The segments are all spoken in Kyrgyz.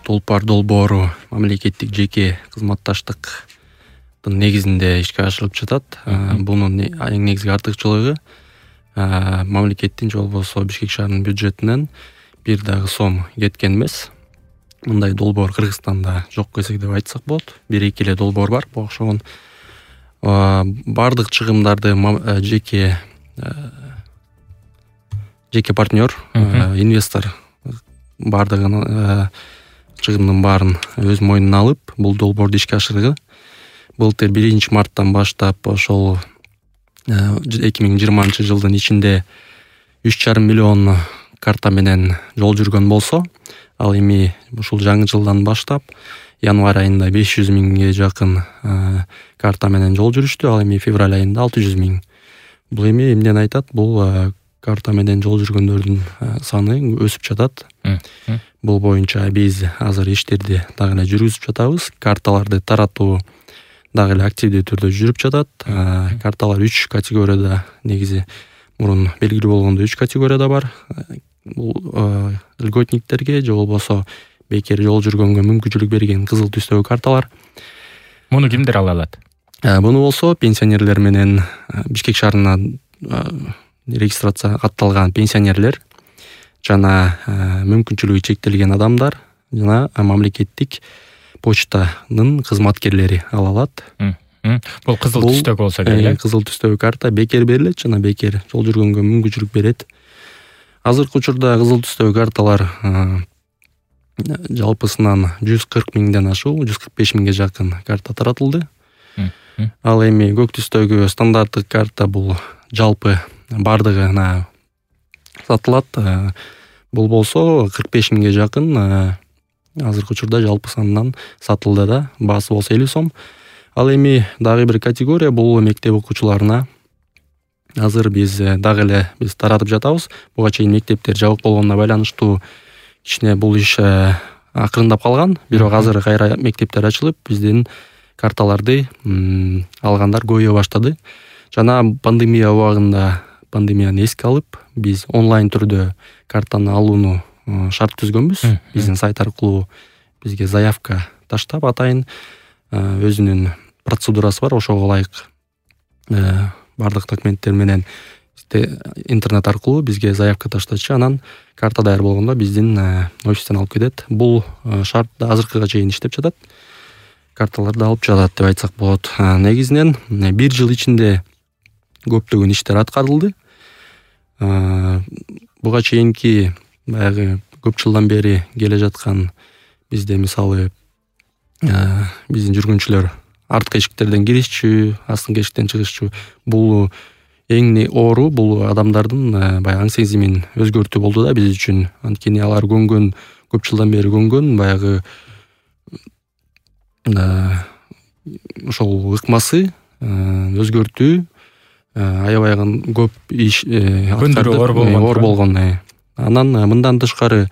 Толпар долбоору мамлекеттик жеке кызматташтыктын негизинде ишке ашырылып жатат. Бунун эң негизги артыкчылыгы мамлекеттин же болбосо Бишкек шаарынын бюджетинен бир дагы сом кеткен эмес. Мындай долбоор Кыргызстанда жок десек деп айтсак болот. 1-2 эле долбоор бар. Буга окшогон бардык чыгымдарды жеке партнер, инвестор бардыгын чыгымдын баарын өз мойнуна алып, бул долбоорду ишке ашырды. Былтыр 1-марттан баштап ошол 2020 жылдын ичинде 3,5 миллион карта менен жол жүргөн болсо, ал эми ушул жаңы жылдан баштап январь айында 500 миңге жакын карта менен жол жүрүштү, ал эми февраль айында 600 миң. Бул эми эмнени айтат? Бул карта менен жол жүргөндөрдүн саны өсүп жатат. Бул боюнча биз азыр иштерди дагы эле жүргүзүп жатабыз. Карталарды таратуу дагы эле активдүү түрдө жүрүп жатат. Карталар 3 категорияда, негизи мурун белгилүү болгондой 3 категорияда бар. Бул льготниктерге же болбосо бекер жол жүргөнгө мүмкүнчүлүк берген кызыл түстөгү карталар. Муну кимдер ала алат? Буну болсо пенсионерлер менен Бишкек шаарына регистрация катталган пенсионерлер жана мүмкүнчүлүгү чектелген адамдар жана мамлекеттик почтанын кызматкерлери ала алат. Бул кызыл түстөгү болсо керек. Кызыл түстөгү карта бекер берилет жана бекер жол жүргөнгө мүмкүнчүлүк берет. Азыркы учурда кызыл түстөгү карталар жалпысынан 140 миңден ашуу, 145 миңге жакын карта таратылды. Ал эми көк түстөгү стандарттык карта бул жалпы бардыгына сатылат. Бул болсо 45 миңге жакын азыркы учурда жалпы санынан сатылды да, баасы болсо 50 сом. Ал эми дагы бир категория бул мектеп окуучуларына. Азыр биз дагы эле таратып жатабыз. Буга чейин мектептер жабык болгонуна байланыштуу кичине бул иш акырындап калган. Бирок азыр кайра мектептер ачылып, биздин карталарды алгандар көбөйө баштады. Жана пандемия убагында пандемияны эске алып, биз онлайн түрдө картаны алууну шарт түзгөнбүз. Биздин сайт аркылуу бизге заявка таштап, атайын өзүнүн процедурасы бар. Ошого ылайык бардык документтер менен интернет аркылуу бизге заявка таштачы, анан карта даяр болгондо биздин офистен алып кетет. Бул шарт азыркыга чейин иштеп жатат. Карталарды алып жатат деп айтсак болот. Негизинен 1 жыл ичинде көптөгөн иштер аткарылды. Буга чейинки баягы көп жылдан бери келе жаткан бизде мисалы биздин жүргүнчүлөр арткы эшиктерден киришчү, астыңкы эшиктен чыгышчу. Бул эң оору, бул адамдардын баягы аң сезимин өзгөртүү болду да биз үчүн. Анткени алар көнгөн, көп жылдан бери көнгөн баягы ошол ыкмасы өзгөртүү аябай көп иш оор болгон. Анан мындан тышкары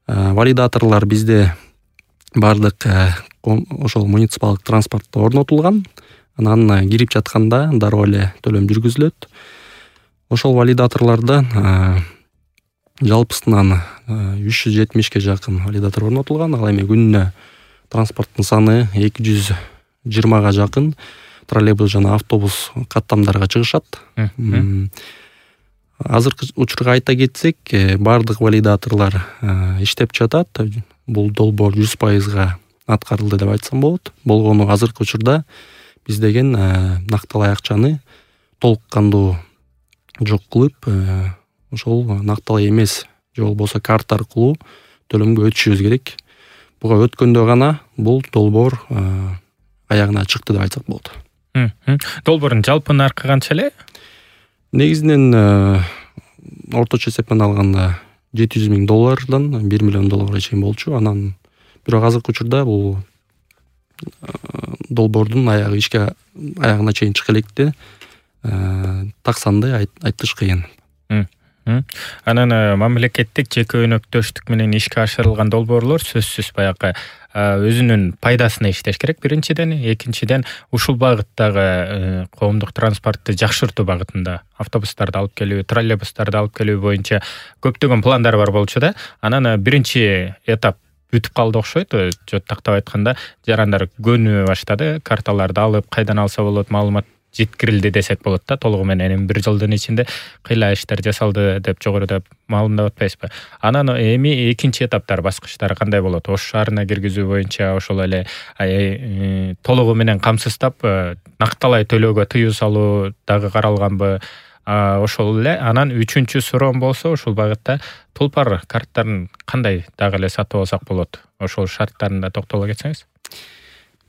валидаторлор бизде бардык ошол муниципалдык транспортто орнотулган. Анан кирип жатканда дароо эле төлөм жүргүзүлөт. Ошол валидаторлордон жалпысынан 370ке жакын валидатор орнотулган. Ал эми күнүнө транспорттун саны 220га жакын троллейбус жана автобус каттамдарга чыгышат. Азыркы учурга айта кетсек, бардык валидаторлор иштеп жатат. Бул долбоор 100% аткарылды деп айтсам болот. Болгону азыркы учурда биз деген накталай акчаны толук кандуу жок кылып, ошол накталай эмес же болбосо карта аркылуу төлөмгө өтүшүбүз керек. Буга өткөндө гана бул долбоор аягына чыкты деп айтсак болот. Долбоордун жалпы наркы канча эле? Негизинен орточо эсеппен алганда $700 миң $1 миллион чейин болчу. Анан бирок азыркы учурда бул долбоордун аягына чейин чыга электи. Так санды айтыш кыйын. Анан мамлекеттик жеке өнөктөштүк менен ишке ашырылган долбоорлор сөзсүз баягы өзүнүн пайдасына иштеш керек биринчиден, экинчиден ушул багыттагы коомдук транспортты жакшыртуу багытында автобустарды алып келүү, троллейбустарды алып келүү боюнча көптөгөн пландар бар болчу да. Анан биринчи этап бүтүп калды окшойт. Жотактап айтканда жарандар көнү баштады. Карталарды алып кайдан алса болот, маалымат жеткирилди десек болот да. Толугу менен 1 жылдын ичинде кыйла иштер жасалды деп жогоруда маалымдап атпайсызбы? Анан эми экинчи этаптар, баскычтары кандай болот? Ош шаарына киргизүү боюнча ошол эле толугу менен камсыздап накталай төлөөгө тыюу салуу дагы каралганбы? Ошол эле анан 3-чү суроом болсо ушул багытта Тулпар карттарын кандай дагы эле сатып алсак болот? Ошол шарттарында токтоло кетсеңиз.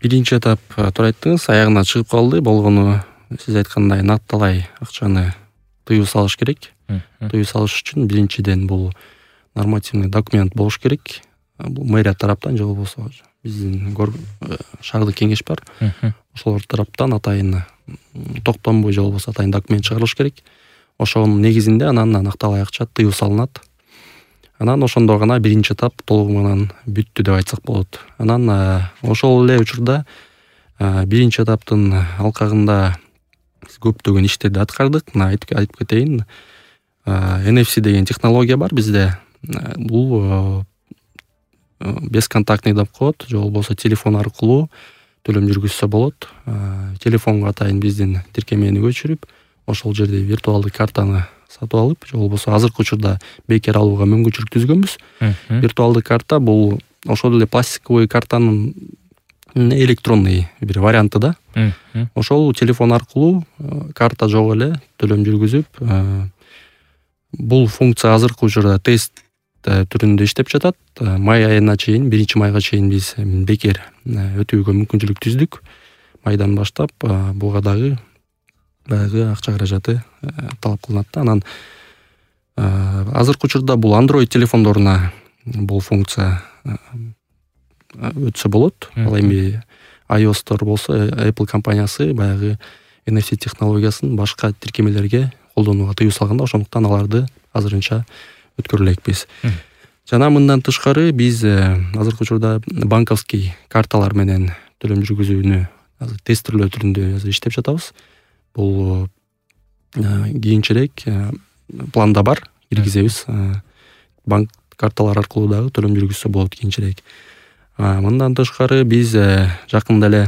Биринчи этап туура айттыңыз, аягына чыгып калды. Болгону сиз айткандай накталай акчаны тыюу салыш керек. Тыюу салыш үчүн биринчиден бул нормативный документ болуш керек. Бул мэрия тараптан же болбосо биздин шаардык кеңеш бар. Ошолор тараптан атайын токтонбой же болбосо атайын документ чыгарылыш керек. Ошонун негизинде анан накталай акча тыюу салынат. Анан ошондо гана биринчи этап толугу менен бүттү деп айтсак болот. Анан ошол эле учурда биринчи этаптын алкагында биз көптөгөн иштерди аткардык. Айтып кетейин. NFC деген технология бар бизде. Бул бесконтактный деп коет, же болбосо телефон аркылуу төлөм жүргүзсө болот. Телефонго атайын биздин тиркемени көчүрүп, ошол жерде виртуалдык картаны сатып алып, же болбосо азыркы учурда бекер алууга мүмкүнчүлүк түзгөнбүз. Виртуалдык карта бул ошол эле пластиковый картанын электронный бир варианты да. Ошол телефон аркылуу карта жок эле төлөм жүргүзүп, бул функция азыркы учурда тест түрүндө иштеп жатат. Май айына чейин, 1-майга чейин биз бекер өтүүгө мүмкүнчүлүк түздүк. Майдан баштап буга дагы баягы акча каражаты талап кылынат да. Анан азыркы учурда бул Android телефондоруна бул функция өтсө болот. Ал эми iOS-тор болсо Apple компаниясы баягы NFC технологиясын башка тиркемелерге колдонууга тыюу салганда, ошондуктан аларды азырынча өткөрө элекпиз. Жана мындан тышкары биз азыркы учурда банковский карталар менен төлөм жүргүзүүнү тестирлөө түрүндө иштеп жатабыз. Бул кийинчерээк планда бар, киргизебиз. Банк карталар аркылуу дагы төлөм жүргүзсө болот кийинчерээк. Мындан тышкары биз жакында эле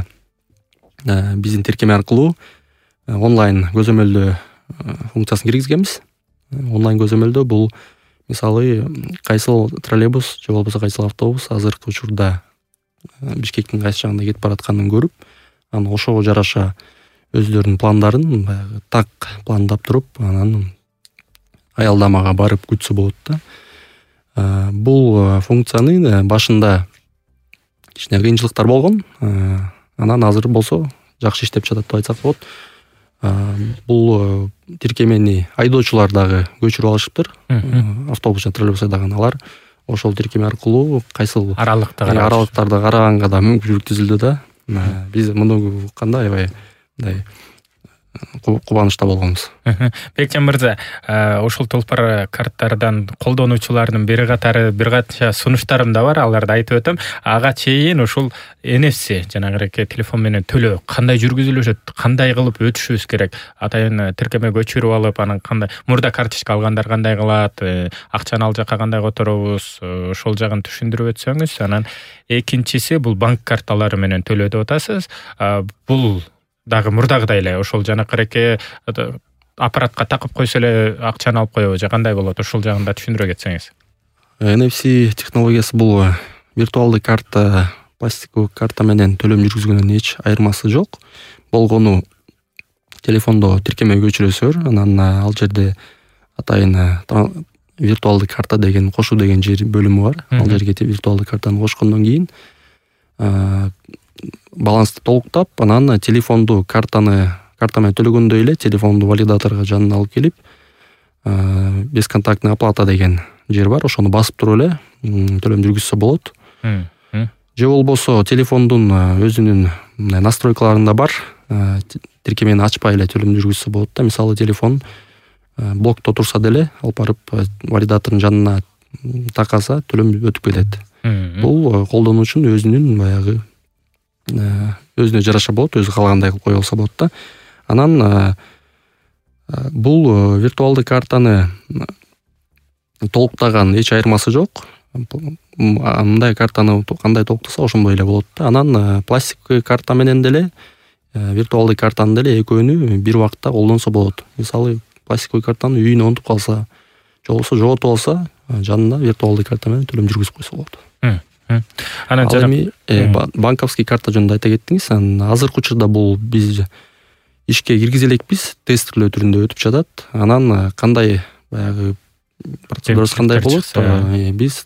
биздин тиркеме аркылуу онлайн көзөмөлдөө функциясын киргизгенбиз. Онлайн көзөмөлдөө бул мисалы кайсыл троллейбус же болбосо кайсыл автобус азыркы учурда Бишкектин кайсы жагында кетип баратканын көрүп, анан ошого жараша өздөрүнүн пландарын баягы так пландап туруп, анан аялдамага барып күтсө болот да. Бул функцияны башында кичине кыйынчылыктар болгон. Анан азыр болсо жакшы иштеп жатат деп айтсак болот. Бул тиркемени айдоочулар дагы көчүрүп алышыптыр. Автобус жана троллейбус айдаган алар ошол тиркеме аркылуу кайсыл аралыктарды караганга да мүмкүнчүлүк түзүлдү да. Биз муну укканда аябай мындай кубанычта болгонбуз. Бекжан мырза, ошол Тулпар карттардан колдонуучулардын бир канча сунуштарым да бар, аларды айтып өтөм. Ага чейин ушул NFC жанагы телефон менен төлөө кандай жүргүзүлөт, кандай кылып өтүшүбүз керек? Атайын тиркеме көчүрүп алып, анан кандай мурда карточка алгандар кандай кылат, акчаны ал жака кандай которобуз, ошол жагын түшүндүрүп өтсөңүз. Анан экинчиси бул банк карталары менен төлөө деп атасыз. Бул дагы мурдагыдай эле ошол жанакыреке аппаратка такып койсо эле акчаны алып коебу же кандай болот? Ошол жагын да түшүндүрө кетсеңиз. NFC технологиясы бул виртуалдык карта, пластиковый карта менен төлөм жүргүзгөндөн эч айырмасы жок. Болгону телефондо тиркеме көчүрөсүңөр, анан ал жерде атайын виртуалдык карта деген кошуу деген жер бөлүмү бар. Ал жерге виртуалдык картаны кошкондон кийин балансты толуктап, анан телефонду карта менен төлөгөндөй эле телефонду валидаторго жанына алып келип, бесконтактный оплата деген жер бар, ошону басып туруп эле төлөм жүргүзсө болот. Же болбосо телефондун өзүнүн настройкаларында бар, тиркемени ачпай эле төлөм жүргүзсө болот да. Мисалы телефон блокто турса деле алып барып валидатордун жанына такаса төлөм өтүп кетет. Бул колдонуучунун өзүнүн баягы өзүнө жараша болот, өзү каалагандай кылып кое алса болот да. Анан бул виртуалдык картаны толуктаган эч айырмасы жок. мындай картаны кандай толуктаса ошондой эле болот да. Анан пластиктик карта менен деле виртуалдык картаны деле экөөнү бир убакытта колдонсо болот. Мисалы пластиктик картаны үйүнө унутуп калса, же болбосо жоготуп алса, жанына виртуалдык карта менен төлөм жүргүзүп койсо болот. Анан ал эми банковский карта жөнүндө айта кеттиңиз. Азыркы учурда бул биз ишке киргизе элекпиз, тестирлөө түрүндө өтүп жатат. Анан кандай баягы процедурасы кандай болот, биз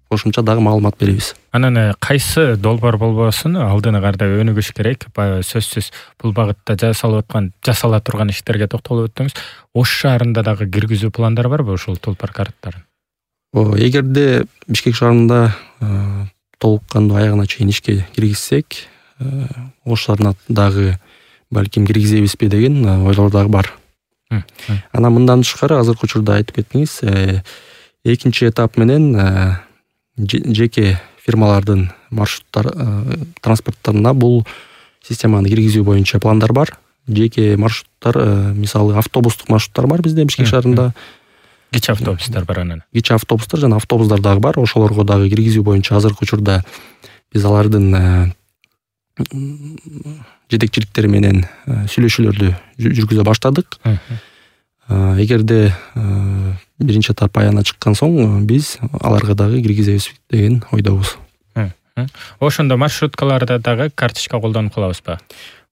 кошумча дагы маалымат беребиз. Анан кайсы долбоор болбосун алдыны кардап өнүгүш керек. Сөзсүз бул багытта жасала турган иштерге токтолуп өттүңүз. Ош шаарында дагы киргизүү пландар барбы ушул долбоор карттарын? Эгерде Бишкек шаарында толук кандуу аягына чейин ишке киргизсек, Ош шаарына дагы балким киргизебизби деген ойлор дагы бар. Анан мындан тышкары азыркы учурда айтып кеттиңиз, экинчи этап менен жеке фирмалардын маршруттар транспорттарына бул системаны киргизүү боюнча пландар бар. Жеке маршруттар, мисалы автобустук маршруттар бар бизде Бишкек шаарында. Кичи автобустар бар анан. Кичи автобустар жана автобустар дагы бар. Ошолорго дагы киргизүү боюнча азыркы учурда биз алардын жетекчиликтери менен сүйлөшүүлөрдү жүргүзө баштадык. Эгерде биринчи этап аягына чыккан соң биз аларга дагы киргизебиз деген ойдобуз. Ошондо маршруткаларда дагы карточка колдонуп калабызбы?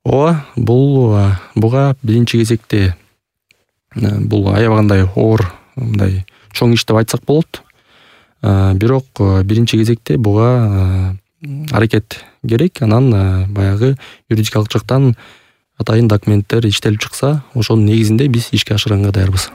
Ооба, буга биринчи кезекте бул аябагандай оор мындай чоң иш деп айтсак болот. Бирок биринчи кезекте буга аракет керек. Анан баягы юридикалык жактан атайын документтер иштелип чыкса, ошонун негизинде биз ишке ашырганга даярбыз.